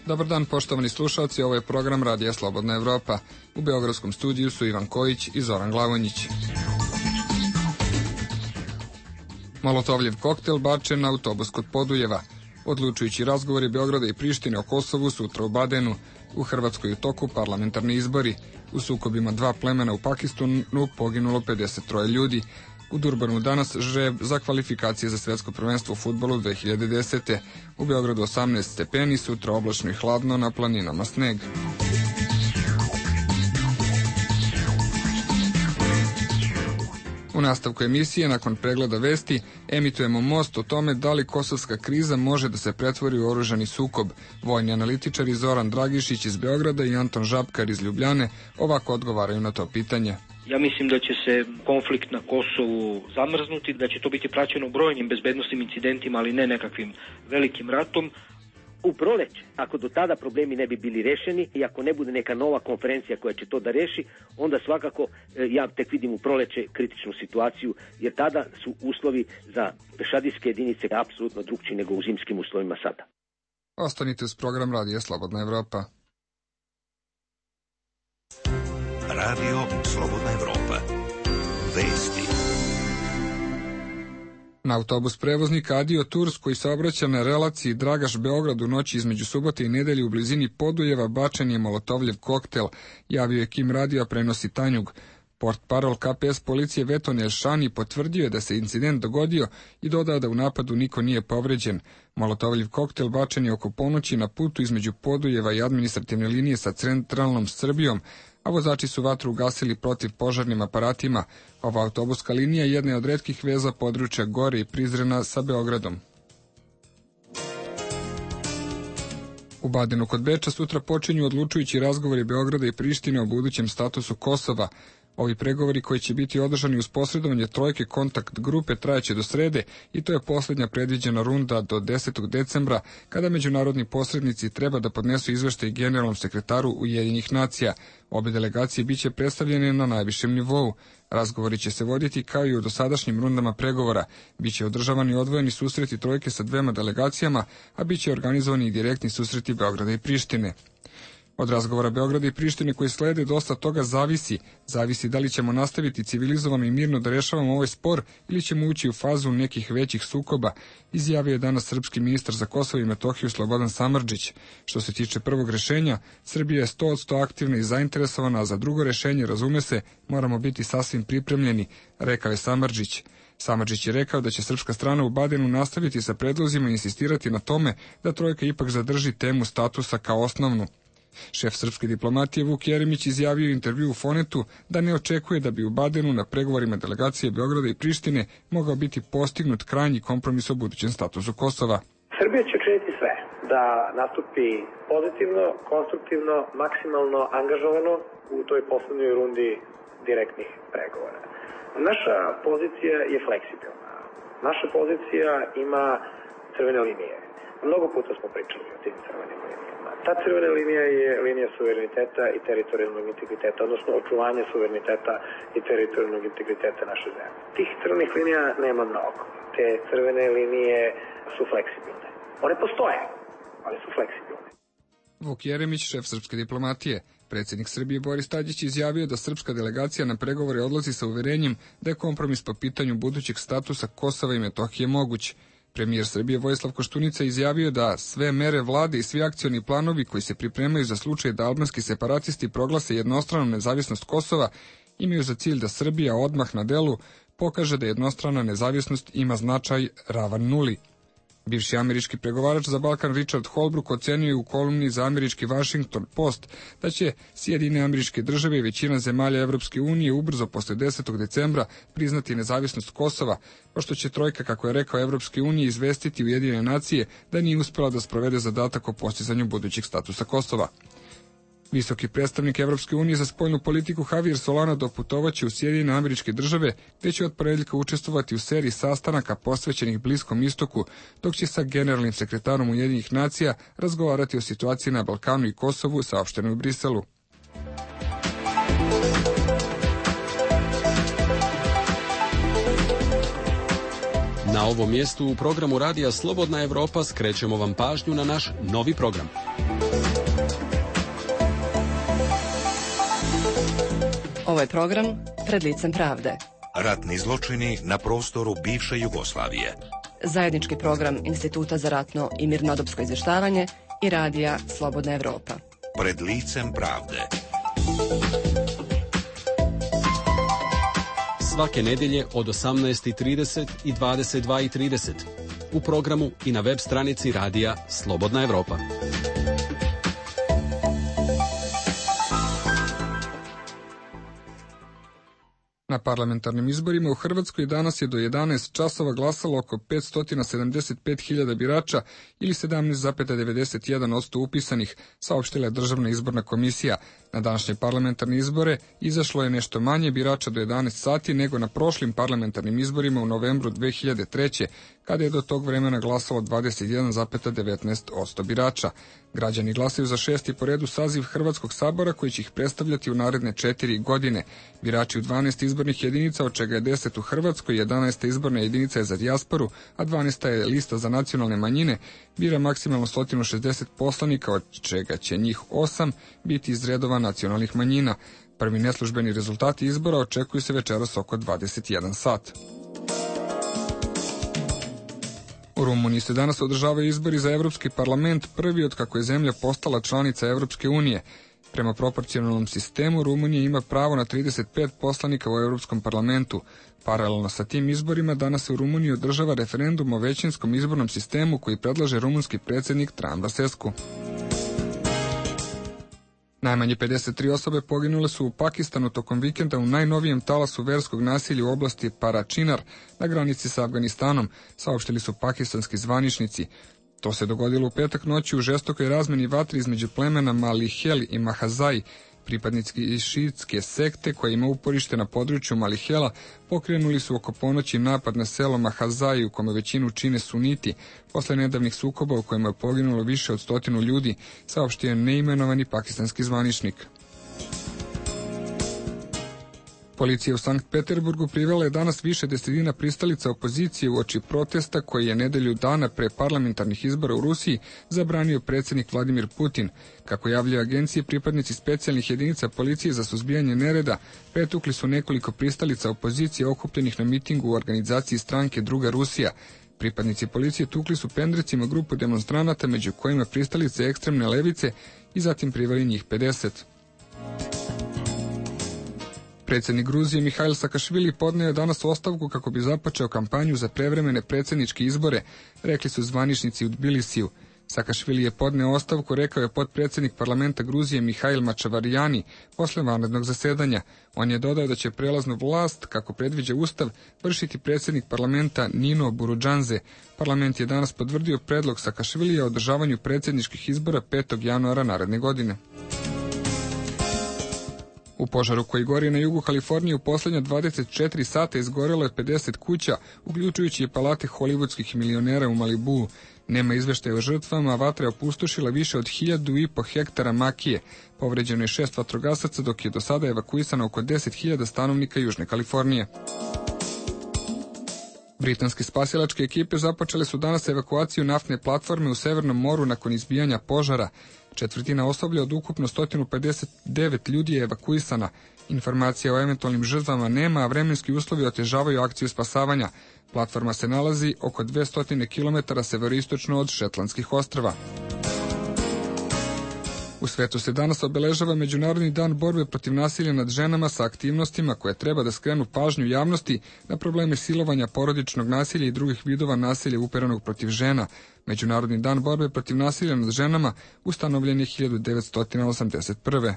Dobar dan, poštovani slušalci, ovo je program Radija Slobodna Evropa. U beogradskom studiju su Ivan Kojić i Zoran Glavonjić. Molotovljev koktel bačen na autobus kod Podujeva. Odlučujući razgovori Beograda i Prištine o Kosovu sutra u Badenu. U Hrvatskoj u toku parlamentarni izbori. U sukobima dva plemena u Pakistanu poginulo 53 ljudi. U Durbanu danas žreb za kvalifikacije za svetsko prvenstvo u fudbalu 2010. U Beogradu 18 stepeni, sutra oblačno i hladno, na planinama sneg. U nastavku emisije, nakon pregleda vesti, emitujemo Most o tome da li kosovska kriza može da se pretvori u oružani sukob. Vojni analitičari Zoran Dragišić iz Beograda i Anton Žabkar iz Ljubljane ovako odgovaraju na to pitanje. Ja mislim da će se konflikt na Kosovu zamrznuti, da će to biti praćeno brojnim bezbednosnim incidentima, ali ne nekakvim velikim ratom. U proleće, ako do tada problemi ne bi bili rešeni i ako ne bude neka nova konferencija koja će to da reši, onda svakako ja tek vidim u proleće kritičnu situaciju, jer tada su uslovi za pešadijske jedinice apsolutno drugčiji nego u zimskim uslovima sada. Ostanite uz program Radija Slobodna Evropa. Radio Slobodna Evropa. Vesti. Na autobus prevoznika Adio Tours koji saobraća na relaciji Dragaš-Beograd u noći između subote i nedelje u blizini Podujeva bačen je molotovljev koktel, javio je Kim Radio, prenosi Tanjug. Portparol KPS policije Veton Elšani potvrdio je da se incident dogodio i dodao da u napadu niko nije povređen. Molotovljev koktel bačen je oko ponoći na putu između Podujeva i administrativne linije sa centralnom Srbijom, a vozači su vatru ugasili protiv požarnim aparatima. Ova autobuska linija jedna je od retkih veza područja Gore i Prizrena sa Beogradom. U Badenu kod Beča sutra počinju odlučujući razgovori Beograda i Prištine o budućem statusu Kosova. Ovi pregovori koji će biti održani uz posredovanje trojke kontakt grupe trajaće do srede i to je posljednja predviđena runda do 10. decembra, kada međunarodni posrednici treba da podnesu izveštaj generalnom sekretaru Ujedinjenih nacija. Obe delegacije biće predstavljene na najvišem nivou. Razgovori će se voditi kao i u dosadašnjim rundama pregovora. Biće održavani odvojeni susreti trojke sa dvema delegacijama, a biće organizovani i direktni susreti Beograda i Prištine. Od razgovora Beograda i Prištine koji slede dosta toga zavisi da li ćemo nastaviti civilizovano i mirno da rešavamo ovaj spor ili ćemo ući u fazu nekih većih sukoba, izjavio je danas srpski ministar za Kosovo i Metohiju Slobodan Samardžić. Što se tiče prvog rešenja, Srbija je 100% aktivna i zainteresovana, a za drugo rešenje, razume se, moramo biti sasvim pripremljeni, rekao je Samardžić. Samardžić je rekao da će srpska strana u Badenu nastaviti sa predlozima i insistirati na tome da trojka ipak zadrži temu statusa kao osnovnu. Šef srpske diplomatije Vuk Jeremić izjavio u intervju u Fonetu da ne očekuje da bi u Badenu na pregovorima delegacije Beograda i Prištine mogao biti postignut krajnji kompromis o budućem statusu Kosova. Srbija će učiniti sve da nastupi pozitivno, konstruktivno, maksimalno angažovano u toj poslednjoj rundi direktnih pregovora. Naša pozicija je fleksibilna. Naša pozicija ima crvene linije. Mnogo puta smo pričali o tim crvenim linijama. Ta crvena linija je linija suvereniteta i teritorijalnog integriteta, odnosno očuvanje suvereniteta i teritorijalnog integriteta naše zemlje. Tih crvenih linija nema mnogo. Te crvene linije su fleksibilne. One postoje, ali su fleksibilne. Vuk Jeremić, šef srpske diplomatije. Predsjednik Srbije Boris Tadić izjavio da srpska delegacija na pregovore odlazi sa uverenjem da je kompromis po pitanju budućeg statusa Kosova i Metohije moguć. Premijer Srbije Vojislav Koštunica izjavio da sve mere vlade i svi akcioni planovi koji se pripremaju za slučaj da albanski separatisti proglase jednostranu nezavisnost Kosova imaju za cilj da Srbija odmah na delu pokaže da jednostrana nezavisnost ima značaj ravan nuli. Bivši američki pregovarač za Balkan Richard Holbrooke ocenio u kolumni za američki Washington Post da će Sjedinjene Američke Države i većina zemalja Evropske unije ubrzo posle 10. decembra priznati nezavisnost Kosova, pošto će trojka, kako je rekao, Evropske unije izvestiti Ujedinjene nacije da nije uspela da sprovede zadatak o postizanju budućeg statusa Kosova. Visoki predstavnik Evropske unije za spoljnu politiku Javier Solana doputovaće u Sjedinjene Američke Države, gde će od ponedjeljka učestvovati u seriji sastanaka posvećenih Bliskom istoku, dok će sa generalnim sekretarom Ujedinjenih nacija razgovarati o situaciji na Balkanu i Kosovu, saopšteno je u Briselu. Na Na ovom mjestu u programu Radija Slobodna Evropa skrećemo vam pažnju na naš novi program. Ovo je program Pred licem pravde. Ratni zločini na prostoru bivše Jugoslavije. Zajednički program Instituta za ratno i mirnodopsko izvještavanje i Radija Slobodna Evropa. Pred licem pravde. Svake nedjelje od 18:30 i 22:30 u programu i na web stranici Radija Slobodna Evropa. Na parlamentarnim izborima u Hrvatskoj danas je do 11 časova glasalo oko 575.000 birača ili 17,91% upisanih, saopštila je Državna izborna komisija. Na današnje parlamentarne izbore izašlo je nešto manje birača do 11 sati nego na prošlim parlamentarnim izborima u novembru 2003. kada je do tog vremena glasalo 21,19% birača. Građani glasaju za 6. po redu saziv Hrvatskog sabora koji će ih predstavljati u naredne 4 godine. Birači u 12 izbornih jedinica, od čega je 10 u Hrvatskoj, 11. izborna jedinica je za dijasporu, a 12. je lista za nacionalne manjine, bira maksimalno 160 poslanika, od čega će njih 8 biti iz redova nacionalnih manjina. Prvi neslužbeni rezultati izbora očekuju se večeras oko 21 sat. U Rumuniji se danas održavaju izbori za Evropski parlament, prvi od kako je zemlja postala članica Evropske unije. Prema proporcionalnom sistemu, Rumunija ima pravo na 35 poslanika u Evropskom parlamentu. Paralelno sa tim izborima, danas se u Rumuniji održava referendum o većinskom izbornom sistemu koji predlaže rumunski predsjednik Traian Băsescu. Najmanje 53 osobe poginule su u Pakistanu tokom vikenda u najnovijem talasu verskog nasilja u oblasti Paračinar na granici sa Afganistanom, saopštili su pakistanski zvaničnici. To se dogodilo u petak noći u žestokoj razmeni vatri između plemena Malihel i Mahazai. Pripadnici šiitske sekte koja ima uporište na području Malihela pokrenuli su oko ponoći napad na selo Mahazai u kome većinu čine suniti, posle nedavnih sukoba u kojima je poginulo više od 100 ljudi, saopštio je neimenovani pakistanski zvaničnik. Policija u Sankt Peterburgu privela je danas više desetina pristalica opozicije uoči protesta koji je nedelju dana pre parlamentarnih izbora u Rusiji zabranio predsjednik Vladimir Putin. Kako javljaju agencije, pripadnici specijalnih jedinica policije za suzbijanje nereda pretukli su nekoliko pristalica opozicije okupljenih na mitingu u organizaciji stranke Druga Rusija. Pripadnici policije tukli su pendrecima grupu demonstranata, među kojima pristalice ekstremne levice, i zatim priveli njih 50. Predsjednik Gruzije Mihail Sakašvili podneo je danas ostavku kako bi započeo kampanju za prevremene predsjedničke izbore, rekli su zvaničnici u Tbilisiju. Sakašvili je podneo ostavku, rekao je potpredsjednik parlamenta Gruzije Mihail Mačavarijani posle vanrednog zasedanja. On je dodao da će prelaznu vlast, kako predviđa Ustav, vršiti predsjednik parlamenta Nino Burudžanze. Parlament je danas potvrdio predlog Sakašvilija o održavanju predsjedničkih izbora 5. januara naredne godine. U požaru koji gori na jugu Kalifornije u posljednja 24 sata izgorelo je 50 kuća, uključujući i palate hollywoodskih milionera u Malibuu. Nema izveštaja o žrtvama, a vatra je opustošila više od 1.500 hektara makije. Povređeno je 6 vatrogasaca, dok je do sada evakuisano oko 10.000 stanovnika Južne Kalifornije. Britanske spasilačke ekipe započele su danas evakuaciju naftne platforme u Severnom moru nakon izbijanja požara. Četvrtina osoblja od ukupno 159 ljudi je evakuisana. Informacija o eventualnim žrtvama nema, a vremenski uslovi otežavaju akciju spasavanja. Platforma se nalazi oko 200 km severoistočno od Šetlandskih ostrva. U svetu se danas obeležava Međunarodni dan borbe protiv nasilja nad ženama sa aktivnostima koje treba da skrenu pažnju javnosti na probleme silovanja, porodičnog nasilja i drugih vidova nasilja uperenog protiv žena. Međunarodni dan borbe protiv nasilja nad ženama ustanovljen je 1981.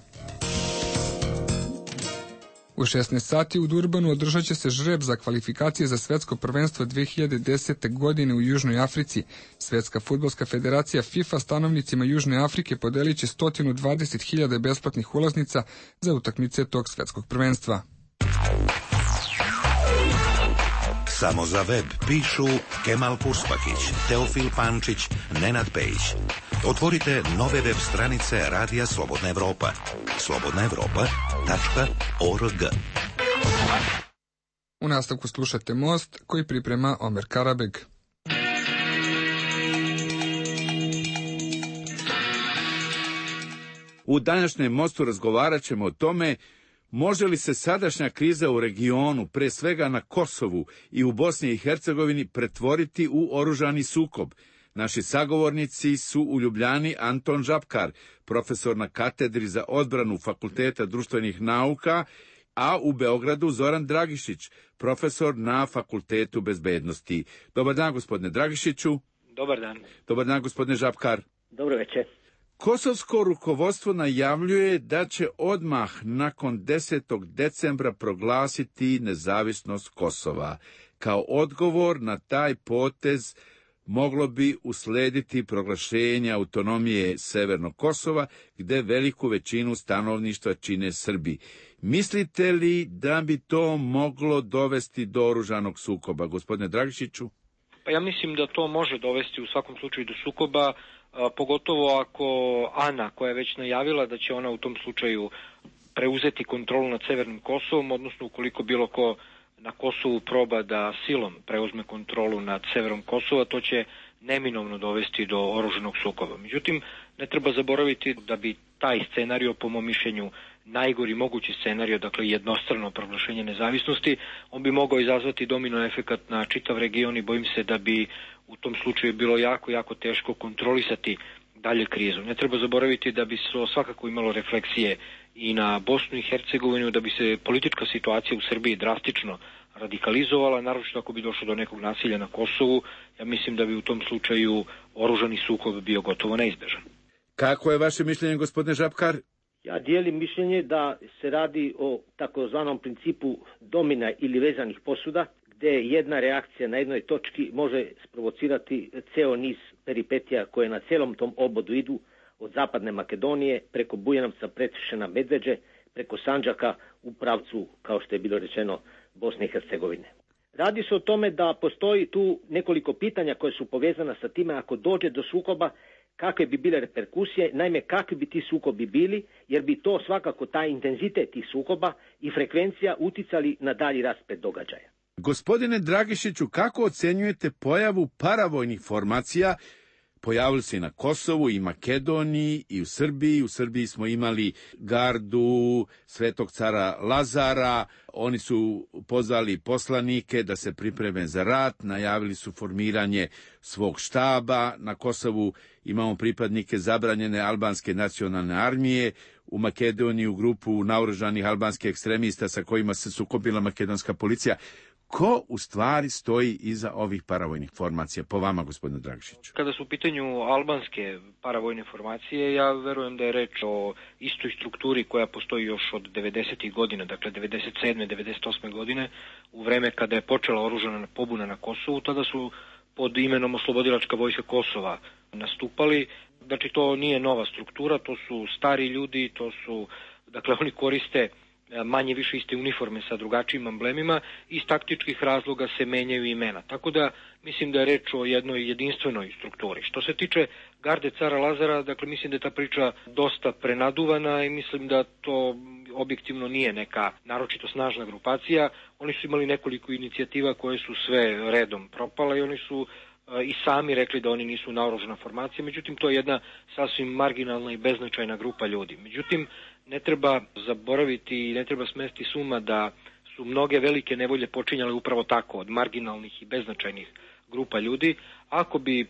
U 16 sati u Durbanu održat će se žreb za kvalifikacije za svetsko prvenstvo 2010. godine u Južnoj Africi. Svetska fudbalska federacija FIFA stanovnicima Južne Afrike podelit će 120.000 besplatnih ulaznica za utakmice tog svetskog prvenstva. Samo za web pišu Kemal Puspakić, Teofil Pančić, Nenad Pejić. Otvorite nove web stranice Radija Slobodna Evropa. slobodnaevropa.org. U nastavku slušate Most koji priprema Omer Karabeg. U današnjem Mostu razgovarat ćemo o tome može li se sadašnja kriza u regionu, pre svega na Kosovu i u Bosni i Hercegovini, pretvoriti u oružani sukob. Naši sagovornici su u Ljubljani Anton Žabkar, profesor na katedri za odbranu Fakulteta društvenih nauka, a u Beogradu Zoran Dragišić, profesor na Fakultetu bezbednosti. Dobar dan, gospodine Dragišiću. Dobar dan. Dobar dan, gospodine Žabkar. Dobro večer. Kosovsko rukovodstvo najavljuje da će odmah nakon 10. decembra proglasiti nezavisnost Kosova. Kao odgovor na taj potez moglo bi uslediti proglašenje autonomije Severnog Kosova, gde veliku većinu stanovništva čine Srbi. Mislite li da bi to moglo dovesti do oružanog sukoba, gospodine Dragišiću? Pa ja mislim da to može dovesti u svakom slučaju do sukoba, pogotovo ako Ana, koja je već najavila da će ona u tom slučaju preuzeti kontrolu nad Severnim Kosovom, odnosno ukoliko bilo ko na Kosovu proba da silom preuzme kontrolu nad severom Kosova, to će neminovno dovesti do oružanog sukoba. Međutim, ne treba zaboraviti da bi taj scenario, po mom mišljenju, najgori mogući scenario, dakle jednostrano proglašenje nezavisnosti, on bi mogao izazvati domino efekat na čitav region i bojim se da bi u tom slučaju bilo jako teško kontrolisati dalje krizu. Ne treba zaboraviti da bi se svakako imalo refleksije i na Bosnu i Hercegovinu, da bi se politička situacija u Srbiji drastično radikalizovala, naročito ako bi došlo do nekog nasilja na Kosovu. Ja mislim da bi u tom slučaju oružani sukob bio gotovo neizbežan. Kako je vaše mišljenje, gospodine Žabkar? Ja dijelim mišljenje da se radi o takozvanom principu domina ili vezanih posuda, gde jedna reakcija na jednoj točki može sprovocirati ceo niz peripetija koje na celom tom obodu idu, od zapadne Makedonije, preko Bujanovca, Preševa, Medveđe, preko Sandžaka u pravcu, kao što je bilo rečeno, Bosne i Hercegovine. Radi se o tome da postoji tu nekoliko pitanja koje su povezana sa time ako dođe do sukoba, kakve bi bile reperkusije, naime kakvi bi ti sukobi bili, jer bi to svakako taj intenzitet tih sukoba i frekvencija uticali na dalji rasplet događaja. Gospodine Dragišiću, kako ocenjujete pojavu paravojnih formacija? Pojavili se i na Kosovu, i Makedoniji, i u Srbiji. U Srbiji smo imali gardu Svetog cara Lazara. Oni su pozvali poslanike da se pripreme za rat, najavili su formiranje svog štaba. Na Kosovu imamo pripadnike zabranjene albanske nacionalne armije. U Makedoniji u grupu naoružanih albanskih ekstremista sa kojima se sukobila makedonska policija. Ko u stvari stoji iza ovih paravojnih formacija, po vama, gospodine Dragišiću? Kada su u pitanju albanske paravojne formacije, ja verujem da je reč o istoj strukturi koja postoji još od 90. godina, dakle 97. 98. godine, u vreme kada je počela oružana pobuna na Kosovu. Tada su pod imenom Oslobodilačka vojska Kosova nastupali. Znači, to nije nova struktura, to su stari ljudi, dakle oni koriste manje više iste uniforme sa drugačijim amblemima, iz taktičkih razloga se menjaju imena. Tako da mislim da je reč o jednoj jedinstvenoj strukturi. Što se tiče garde cara Lazara, dakle mislim da je ta priča dosta prenaduvana i mislim da to objektivno nije neka naročito snažna grupacija. Oni su imali nekoliko inicijativa koje su sve redom propale i oni su i sami rekli da oni nisu naoružana formacija, međutim to je jedna sasvim marginalna i beznačajna grupa ljudi. Međutim, ne treba zaboraviti i ne treba smesti s uma da su mnoge velike nevolje počinjale upravo tako, od marginalnih i beznačajnih grupa ljudi. Ako bi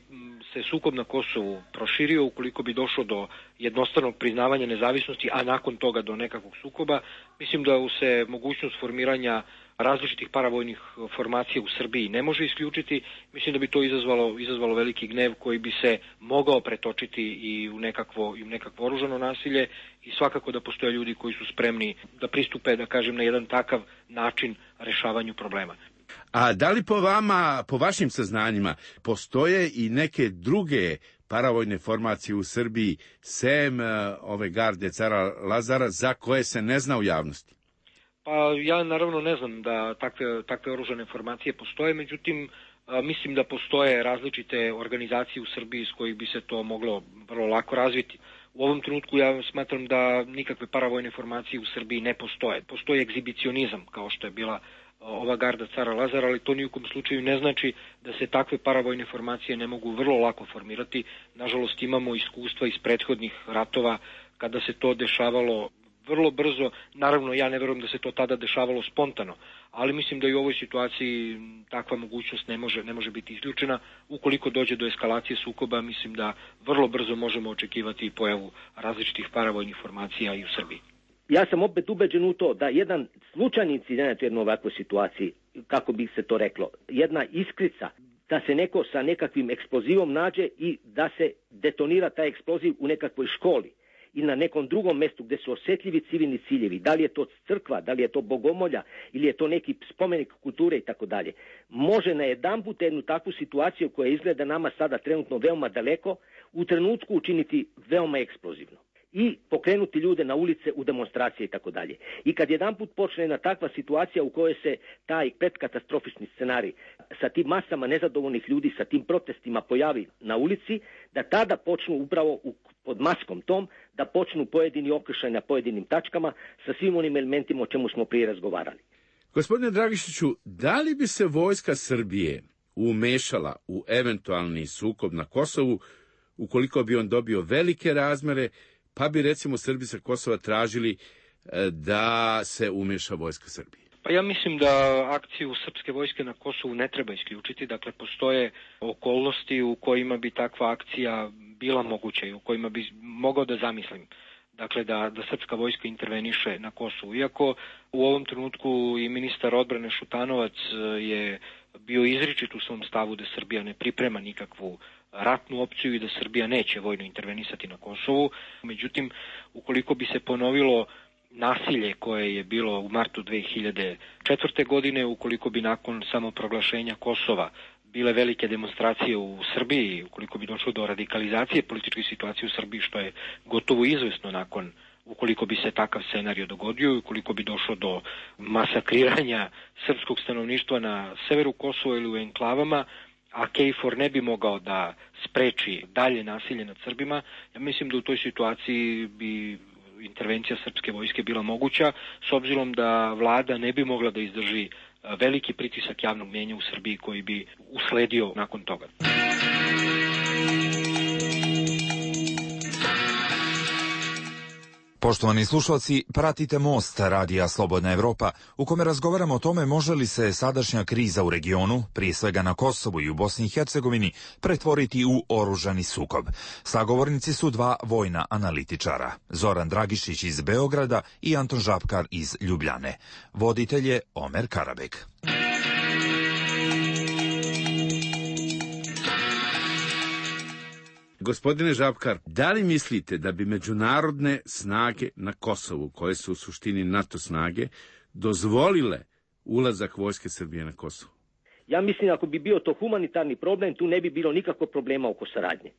se sukob na Kosovu proširio, ukoliko bi došlo do jednostranog priznavanja nezavisnosti, a nakon toga do nekakvog sukoba, mislim da se mogućnost formiranja različitih paravojnih formacija u Srbiji ne može isključiti. Mislim da bi to izazvalo veliki gnev koji bi se mogao pretočiti i u nekakvo oružano nasilje i svakako da postoje ljudi koji su spremni da pristupe, da kažem, na jedan takav način rešavanju problema. A da li po vama, po vašim saznanjima, postoje i neke druge paravojne formacije u Srbiji, sem ove garde cara Lazara, za koje se ne zna u javnosti? Pa ja naravno ne znam da takve oružane formacije postoje, međutim mislim da postoje različite organizacije u Srbiji s kojih bi se to moglo vrlo lako razviti. U ovom trenutku ja smatram da nikakve paravojne formacije u Srbiji ne postoje. Postoji egzibicionizam, kao što je bila ova garda cara Lazara, ali to ni u kom slučaju ne znači da se takve paravojne formacije ne mogu vrlo lako formirati. Nažalost, imamo iskustva iz prethodnih ratova kada se to dešavalo vrlo brzo. Naravno, ja ne verujem da se to tada dešavalo spontano, ali mislim da i u ovoj situaciji takva mogućnost ne može biti isključena. Ukoliko dođe do eskalacije sukoba, mislim da vrlo brzo možemo očekivati pojavu različitih paravojnih formacija i u Srbiji. Ja sam opet ubeđen u to da jedan slučajni incident u jednoj ovakvoj situaciji, kako bi se to reklo, jedna iskrica, da se neko sa nekakvim eksplozivom nađe i da se detonira taj eksploziv u nekakvoj školi ili na nekom drugom mestu gdje su osjetljivi civilni ciljevi, da li je to crkva, da li je to bogomolja ili je to neki spomenik kulture i tako dalje, može na jedanput jednu takvu situaciju koja izgleda nama sada trenutno veoma daleko, u trenutku učiniti veoma eksplozivno i pokrenuti ljude na ulice u demonstracije i tako dalje. I kad jedanput počne jedna takva situacija u kojoj se taj predkatastrofični scenarij sa tim masama nezadovoljnih ljudi, sa tim protestima pojavi na ulici, da tada počnu upravo pod maskom tom, da počnu pojedini okršaj na pojedinim tačkama sa svim onim elementima o čemu smo prije razgovarali. Gospodine Dragišiću, da li bi se vojska Srbije umešala u eventualni sukob na Kosovu ukoliko bi on dobio velike razmere, pa bi recimo Srbi sa Kosova tražili da se umeša vojska Srbije? Pa ja mislim da akciju srpske vojske na Kosovu ne treba isključiti. Dakle, postoje okolnosti u kojima bi takva akcija bila moguća i u kojima bi mogao da zamislim. Dakle, da srpska vojska interveniše na Kosovu. Iako u ovom trenutku i ministar odbrane Šutanovac je bio izričit u svom stavu da Srbija ne priprema nikakvu ratnu opciju i da Srbija neće vojno intervenisati na Kosovu. Međutim, ukoliko bi se ponovilo nasilje koje je bilo u martu 2004. godine, ukoliko bi nakon samoproglašenja Kosova bile velike demonstracije u Srbiji, ukoliko bi došlo do radikalizacije političke situacije u Srbiji, što je gotovo izvesno ukoliko bi se takav scenario dogodio, ukoliko bi došlo do masakriranja srpskog stanovništva na severu Kosova ili u enklavama, a KFOR ne bi mogao da spreči dalje nasilje nad Srbima, ja mislim da u toj situaciji bi intervencija srpske vojske bila moguća, s obzirom da vlada ne bi mogla da izdrži veliki pritisak javnog mnijenja u Srbiji koji bi usledio nakon toga. Poštovani slušalci, pratite Most radija Slobodna Evropa, u kome razgovaramo o tome može li se sadašnja kriza u regionu, prije svega na Kosovu i u Bosni i Hercegovini, pretvoriti u oružani sukob. Sagovornici su dva vojna analitičara, Zoran Dragišić iz Beograda i Anton Žapkar iz Ljubljane. Voditelj je Omer Karabek. Gospodine Žapkar, da li mislite da bi međunarodne snage na Kosovu, koje su u suštini NATO snage, dozvolile ulazak vojske Srbije na Kosovo? Ja mislim ako bi bio to humanitarni problem, tu ne bi bilo nikakvog problema oko saradnje.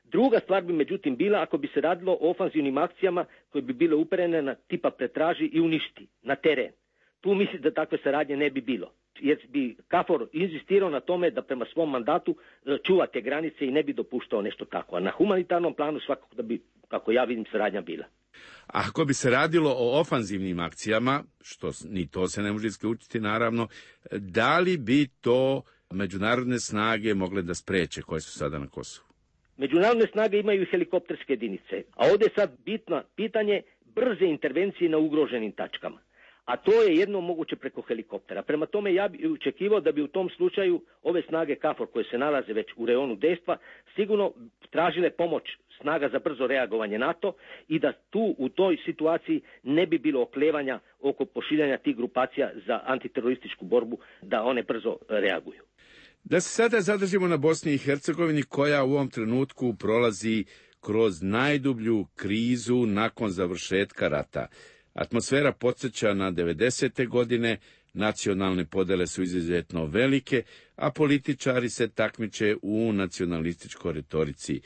Druga stvar bi međutim bila ako bi se radilo o ofanzivnim akcijama koje bi bile uperene na tipa pretraži i uništi na teren. Tu mislim da takve saradnje ne bi bilo, jer bi KFOR inzistirao na tome da prema svom mandatu čuva te granice i ne bi dopuštao nešto tako. A na humanitarnom planu svakako da bi, kako ja vidim, saradnja bila. A ako bi se radilo o ofanzivnim akcijama, što ni to se ne može isključiti naravno, da li bi to međunarodne snage mogle da spreče koje su sada na Kosovu? Međunarodne snage imaju helikopterske jedinice, a ovdje je sad bitno pitanje brze intervencije na ugroženim tačkama. A to je jedno moguće preko helikoptera. Prema tome ja bih očekivao da bi u tom slučaju ove snage KFOR koje se nalaze već u reonu dejstva sigurno tražile pomoć snaga za brzo reagovanje NATO i da tu u toj situaciji ne bi bilo oklevanja oko pošiljanja tih grupacija za antiterorističku borbu da one brzo reaguju. Da se sada zadržimo na Bosni i Hercegovini koja u ovom trenutku prolazi kroz najdublju krizu nakon završetka rata. Atmosfera podsjeća na 90. godine, nacionalne podele su izuzetno velike, a političari se takmiče u nacionalističkoj retorici.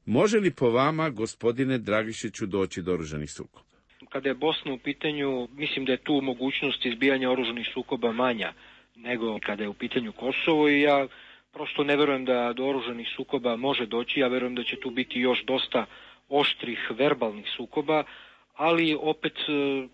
Može li po vama, gospodine Dragišiću, doći do oružanih sukoba? Kada je Bosna u pitanju, mislim da je tu mogućnost izbijanja oružanih sukoba manja nego kada je u pitanju Kosovo i ja prosto ne verujem da do oružanih sukoba može doći. Ja verujem da će tu biti još dosta oštrih verbalnih sukoba, ali opet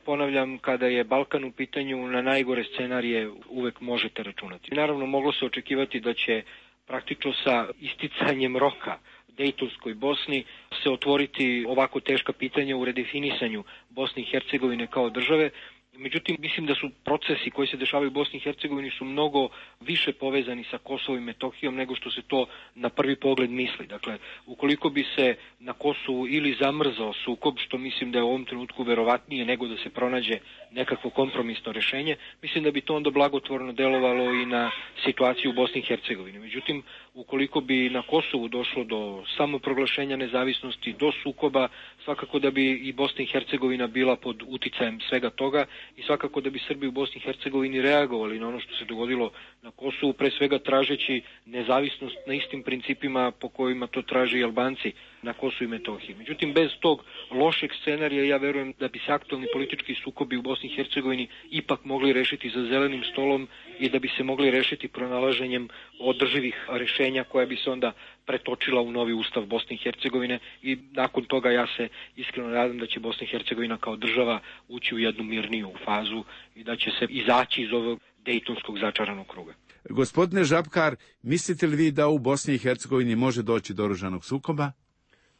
ponavljam, kada je Balkan u pitanju, na najgore scenarije uvek možete računati. Naravno, moglo se očekivati da će praktično sa isticanjem roka Dejtonskoj Bosni se otvoriti ovako teška pitanja u redefinisanju Bosne i Hercegovine kao države. Međutim, mislim da su procesi koji se dešavaju u Bosni i Hercegovini su mnogo više povezani sa Kosovom i Metohijom nego što se to na prvi pogled misli. Dakle, ukoliko bi se na Kosovu ili zamrzao sukob, što mislim da je u ovom trenutku verovatnije nego da se pronađe nekakvo kompromisno rešenje, mislim da bi to onda blagotvorno delovalo i na situaciju u Bosni i Hercegovini. Međutim, ukoliko bi na Kosovu došlo do samoproglašenja nezavisnosti, do sukoba, svakako da bi i Bosna i Hercegovina bila pod uticajem svega toga i svakako da bi Srbi u Bosni i Hercegovini reagovali na ono što se dogodilo na Kosovu, pre svega tražeći nezavisnost na istim principima po kojima to traže i Albanci na Kosovu i Metohiji. Međutim, bez tog lošeg scenarija ja verujem da bi se aktualni politički sukobi u Bosni i Hercegovini ipak mogli rešiti za zelenim stolom i da bi se mogli rešiti pronalaženjem održivih rešenja koja bi se onda pretočila u novi ustav Bosne i Hercegovine i nakon toga ja se iskreno nadam da će Bosna i Hercegovina kao država ući u jednu mirniju fazu i da će se izaći iz ovog dejtonskog začaranog kruga. Gospodine Žabkar, mislite li vi da u Bosni i Hercegovini može doći do oružanog sukoba?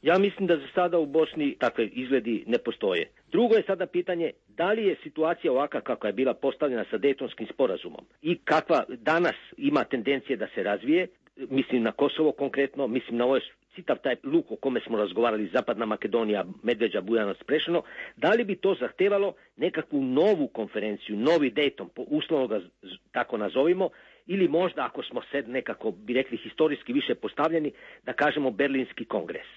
Ja mislim da za sada u Bosni takve izgledi ne postoje. Drugo je sada pitanje da li je situacija ovakva kakva je bila postavljena sa Dejtonskim sporazumom i kakva danas ima tendencije da se razvije, mislim na Kosovo konkretno, mislim na ovaj citav taj luk o kome smo razgovarali, Zapadna Makedonija, Medveđa, Bujanovac, Prešano, da li bi to zahtevalo nekakvu novu konferenciju, novi Dejton, uslovno ga tako nazovimo, ili možda ako smo sad nekako, bi rekli, historijski više postavljeni, da kažemo Berlinski kongres.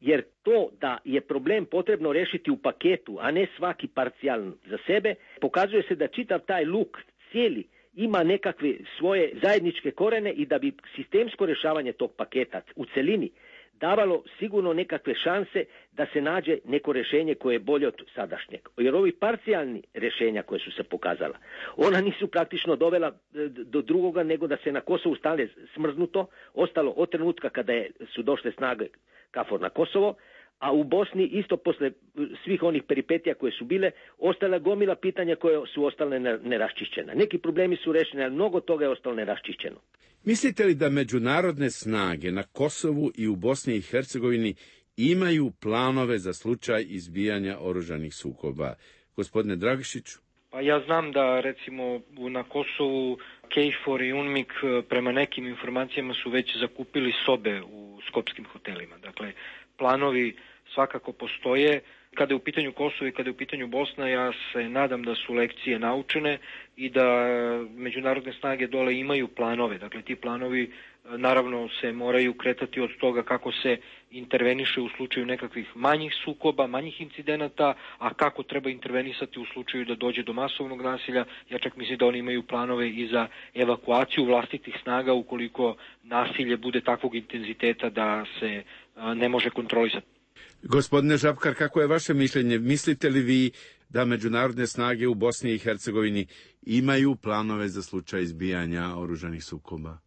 Jer to da je problem potrebno rešiti u paketu, a ne svaki parcijalno za sebe, pokazuje se da čitav taj luk cijeli ima nekakve svoje zajedničke korene i da bi sistemsko rešavanje tog paketa u celini davalo sigurno nekakve šanse da se nađe neko rešenje koje je bolje od sadašnjeg. Jer ovi parcijalni rešenja koje su se pokazala, ona nisu praktično dovela do drugoga nego da se na Kosovu stane smrznuto, ostalo od trenutka kada su došle snage KFOR na Kosovo, a u Bosni isto posle svih onih peripetija koje su bile, ostala gomila pitanja koje su ostale neraščišćena. Neki problemi su rešeni, ali mnogo toga je ostalo neraščišćeno. Mislite li da međunarodne snage na Kosovu i u Bosni i Hercegovini imaju planove za slučaj izbijanja oružanih sukoba? Gospodine Dragišiću? Pa ja znam da recimo na Kosovu KFOR i UNMIK prema nekim informacijama su već zakupili sobe u skopskim hotelima. Dakle, planovi svakako postoje. Kada je u pitanju Kosovo i kada je u pitanju Bosna, ja se nadam da su lekcije naučene i da međunarodne snage dole imaju planove. Dakle, ti planovi naravno se moraju kretati od toga kako se interveniše u slučaju nekakvih manjih sukoba, manjih incidenata, a kako treba intervenisati u slučaju da dođe do masovnog nasilja. Ja čak mislim da oni imaju planove i za evakuaciju vlastitih snaga ukoliko nasilje bude takvog intenziteta da se ne može kontrolisati. Gospodine Žabkar, kako je vaše mišljenje? Mislite li vi da međunarodne snage u Bosni i Hercegovini imaju planove za slučaj izbijanja oružanih sukoba?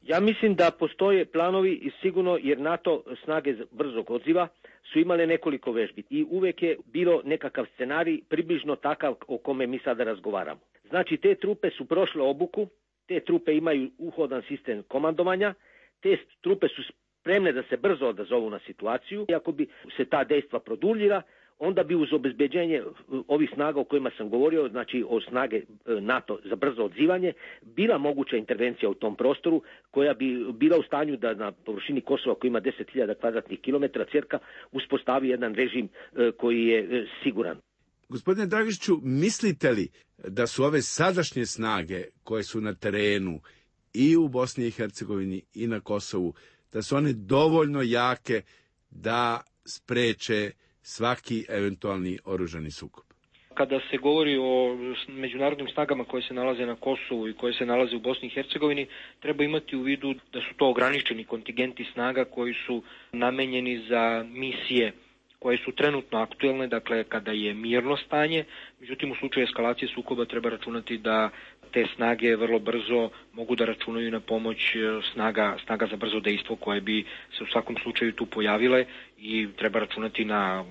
Ja mislim da postoje planovi i sigurno, jer NATO snage brzog odziva su imale nekoliko vežbi i uvek je bilo nekakav scenarij približno takav o kome mi sada razgovaramo. Znači, te trupe su prošle obuku, te trupe imaju uhodan sistem komandovanja, te trupe su spremne da se brzo odazovu na situaciju i ako bi se ta dejstva produljila, onda bi uz obezbeđenje ovih snaga o kojima sam govorio, znači o snage NATO za brzo odzivanje, bila moguća intervencija u tom prostoru koja bi bila u stanju da na površini Kosova koji ima 10.000 kvadratnih kilometara cirka uspostavi jedan režim koji je siguran. Gospodine Dragišiću, mislite li da su ove sadašnje snage koje su na terenu i u Bosni i Hercegovini i na Kosovu, da su one dovoljno jake da spreče svaki eventualni oružani sukob? Kada se govori o međunarodnim snagama koje se nalaze na Kosovu i koje se nalaze u Bosni i Hercegovini, treba imati u vidu da su to ograničeni kontingenti snaga koji su namenjeni za misije koje su trenutno aktuelne, dakle kada je mirno stanje. Međutim, u slučaju eskalacije sukoba treba računati da te snage vrlo brzo mogu da računaju na pomoć snaga za brzo dejstvo koje bi se u svakom slučaju tu pojavile i treba računati na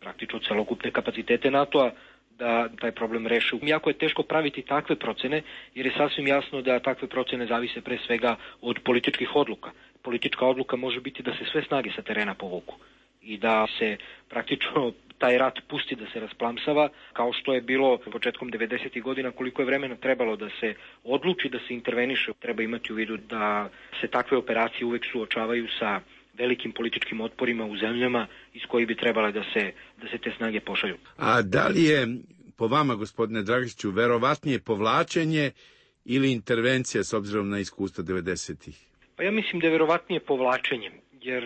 praktično celokupne kapacitete NATO-a da taj problem reše. Jako je teško praviti takve procene, jer je sasvim jasno da takve procene zavise pre svega od političkih odluka. Politička odluka može biti da se sve snage sa terena povuku i da se praktično taj rat pusti da se rasplamsava, kao što je bilo početkom 90. godina, koliko je vremena trebalo da se odluči da se interveniše. Treba imati u vidu da se takve operacije uvek suočavaju sa velikim političkim otporima u zemljama iz kojih bi trebale da se te snage pošalju. A da li je po vama, gospodine Dragišiću, verovatnije povlačenje ili intervencija s obzirom na iskustvo 90-ih? Pa ja mislim da je verovatnije povlačenje, jer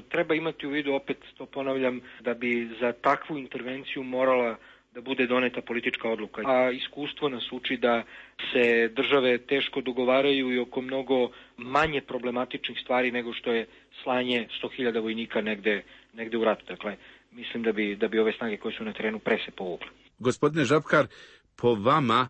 treba imati u vidu, opet to ponavljam, da bi za takvu intervenciju morala da bude doneta politička odluka. A iskustvo nas uči da se države teško dogovaraju i oko mnogo manje problematičnih stvari nego što je slanje 100.000 vojnika negde u ratu. Dakle, mislim da bi ove snage koje su na terenu pre se povukle. Gospodine Žabkar, po vama,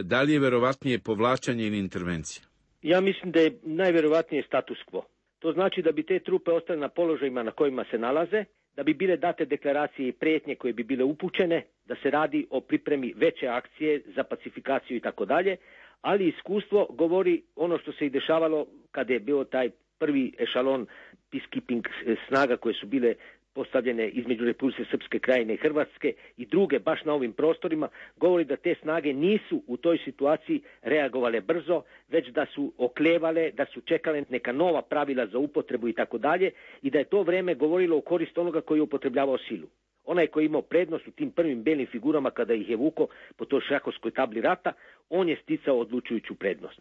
da li je verovatnije povlačenje ili intervencija? Ja mislim da je najverovatnije status quo. To znači da bi te trupe ostale na položajima na kojima se nalaze, da bi bile date deklaracije i prijetnje koje bi bile upućene, da se radi o pripremi veće akcije za pacifikaciju i tako dalje, ali iskustvo govori ono što se i dešavalo kada je bio taj prvi ešalon peacekeeping snaga koje su bile postavljene između Republike Srpske Krajine i Hrvatske i druge baš na ovim prostorima, govori da te snage nisu u toj situaciji reagovale brzo, već da su oklevale, da su čekale neka nova pravila za upotrebu i tako dalje, i da je to vreme govorilo u korist onoga koji je upotrebljavao silu. Onaj koji je imao prednost u tim prvim belim figurama kada ih je vuko po toj šahovskoj tabli rata, on je sticao odlučujuću prednost.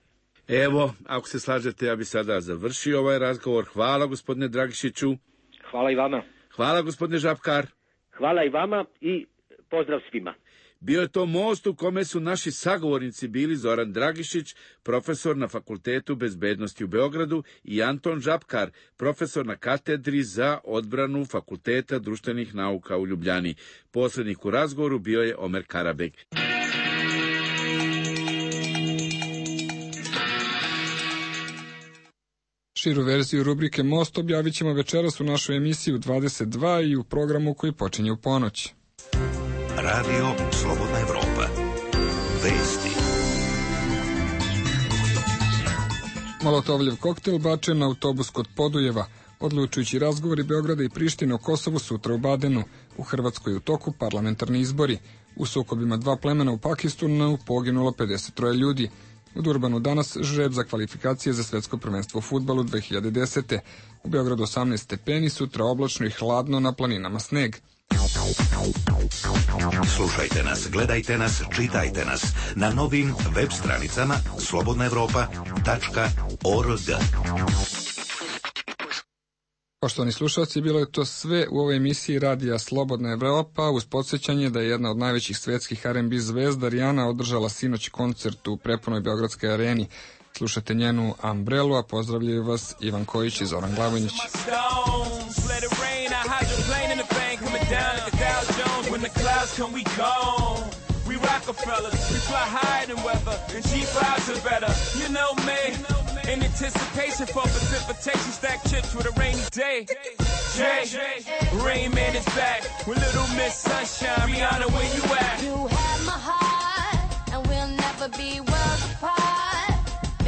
Evo, ako se slažete, ja bi sada završio ovaj razgovor. Hvala, gospodine Dragišiću. Hvala i vama. Hvala, gospodine Žabkar. Hvala i vama i pozdrav svima. Bio je to most u kome su naši sagovornici bili Zoran Dragišić, profesor na Fakultetu bezbednosti u Beogradu, i Anton Žabkar, profesor na katedri za odbranu Fakulteta društvenih nauka u Ljubljani. Posrednik u razgovoru bio je Omer Karabek. Širu verziju rubrike Most objavit ćemo večeras u našoj emisiji u 22 i u programu koji počinje u ponoć. Radio Slobodna Evropa. Vesti. Molotovljev koktel bačen na autobus kod Podujeva. Odlučujući razgovori Beograda i Prištine o Kosovu sutra u Badenu. U Hrvatskoj u toku parlamentarni izbori. U sukobima dva plemena u Pakistanu poginulo 53 ljudi. U Durbanu danas žreb za kvalifikacije za svetsko prvenstvo u fudbalu 2010. U Beogradu 18 stepeni, sutra oblačno i hladno, na planinama sneg. Slušajte nas, gledajte nas, čitajte nas na novim web stranicama slobodnaevropa.org. Poštovani slušalci, bilo je to sve u ovoj emisiji Radija Slobodna Evropa, uz podsjećanje da je jedna od najvećih svetskih R&B zvezda Rijana održala sinoć koncert u prepunoj Beogradskoj areni. Slušate njenu Umbrelu, a pozdravljaju vas Ivan Kojić i Zoran Glavonjić. We Rockefellers, we fly higher than weather, and cheap vibes are better. You know me, in anticipation for precipitation, stack chips with a rainy day. Jay, Rain Man is back with Little Miss Sunshine. Rihanna, where you at? You have my heart, and we'll never be worlds apart.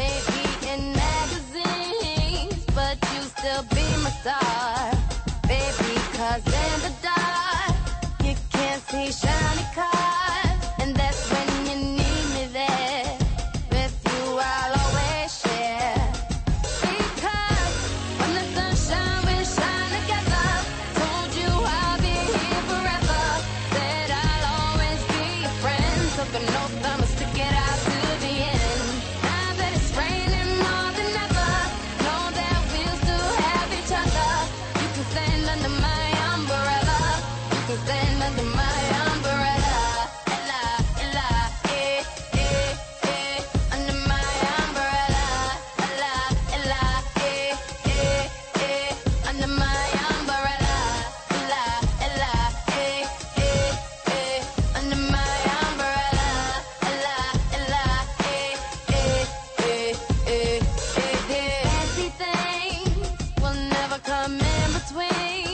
Maybe in magazines, but you still be my star. Baby, 'cause in the dark, you can't see shiny cars.